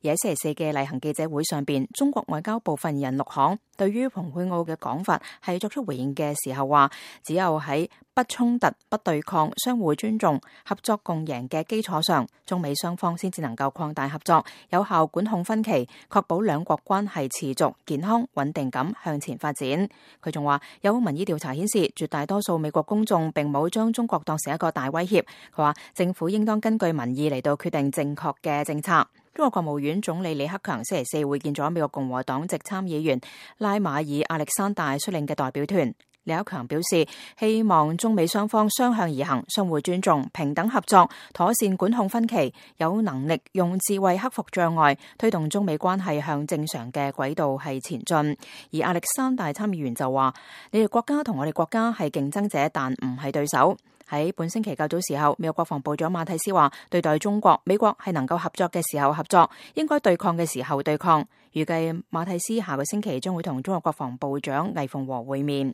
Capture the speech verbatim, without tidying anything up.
而喺星期四嘅例行記者會上邊，中國外交部發言人陸慷對於蓬佩奧嘅講法係作出回應嘅時候話，只有喺不衝突、不對抗、相互尊重、合作共贏嘅基礎上，中美雙方先至能夠擴大合作，有效管控分歧，確保兩國關係持續健康穩定咁向前發展。佢仲話，有民意調查顯示，絕大多數美國公眾並冇將中國當成一個大威脅。佢話政府應當根據民意嚟到決定正確嘅政策。中國國務院總理李克強星期四會見咗美國共和黨籍參議員拉馬爾亞歷山大率領嘅代表團。李克強表示，希望中美雙方相向而行，相互尊重，平等合作，妥善管控分歧，有能力用智慧克服障礙，推動中美關係向正常嘅軌道係前進。而亞歷山大參議員就話，你哋國家同我哋國家係競爭者，但唔係對手。喺本星期較早時候，美國國防部長馬蒂斯話，對待中國，美國係能夠合作嘅時候合作，應該對抗嘅時候對抗。預計馬蒂斯下個星期將會同中國國防部長魏鳳和會面。